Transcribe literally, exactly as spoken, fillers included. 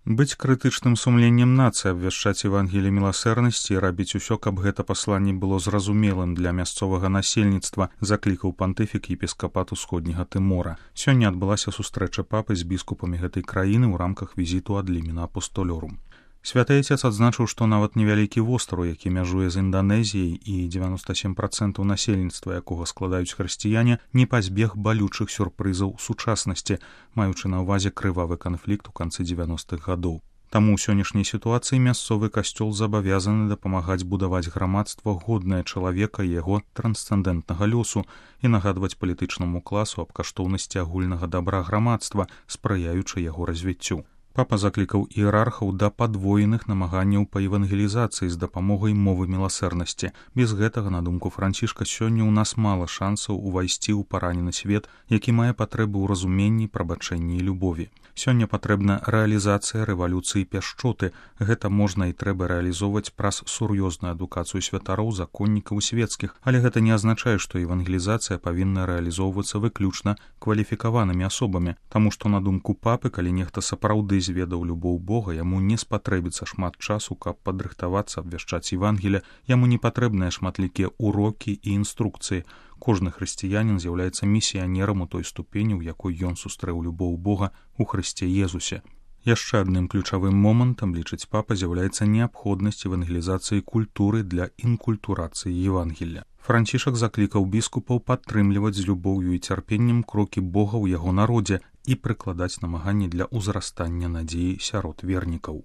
Быць крытычным сумленнем нацыі, абвяшчаць евангеліе міласэрнасці і рабіць усё, каб гэта пасланне было зразумелым для мясцовага насельніцтва, заклікаў пантыфік епіскапату усходняга Тымора. Сёння адбылася сустрэча папы з біскупамі гэтай краіны ў рамках візіту ад Лімена Апостолёрум. Святы Отец адзначыў, што нават невялікі востраў, які мяжуе з Інданезіяй і дзевяноста сем працэнтаў насельніцтва, якога складаюць хрысціяне, не пазбег балючых сюрпрызаў сучаснасці, маючы на ўвазе крывавы канфлікт у канцы дзевяностых гадоў. Таму ў сённяшняй сітуацыі мясцовы касцёл забавязаны дапамагаць будаваць грамадства годнае чалавека і яго трансцэндэнтнага лёсу і нагадваць палітычнаму класу аб каштоўнасці агульнага дабра грамадства, спрыяючы яго развіццю. Папа заклікаў іерархаў да падвоеных намаганняў па евангелізацыі з дапамогай мовы міласэрнасці. Без гэтага, на думку Францішка, сёння ў нас мала шансаў увайсці ў паранены свет, які мае патрэбы ў разуменні, прабачэнні і любові. Сёння патрэбна рэалізацыя рэвалюцыі пяшчоты. Гэта можна і трэба рэалізоўваць праз сур'ёзную адукацыю святароў, законнікаў свецкіх, але гэта не азначае, што евангелізацыя павінна рэалізоўвацца выключна кваліфікаванымі асобамі, таму што, на думку папы, калі нехта сапраўды зведаў любоў Бога, яму не спатрэбіцца шмат часу, каб падрыхтавацца, абвяшчаць Евангелія, яму не патрэбныя шматлікія урокі і інструкцыі. Кожны хрысціянін з'яўляецца місіянерам у той ступені, у якой ён сустрэў любоў Бога у Хрысце Езусе. Яшчэ адным ключавым момантам, лічыць папа, з'яўляецца неабходнасць евангелізацыі культуры для інкультурацыі Евангелля. Францішак заклікаў біскупаў падтрымліваць з любоўю і цярпеннем крокі Бога ў яго народзе і прыкладаць намаганні для ўзрастання надзеі сярод вернікаў.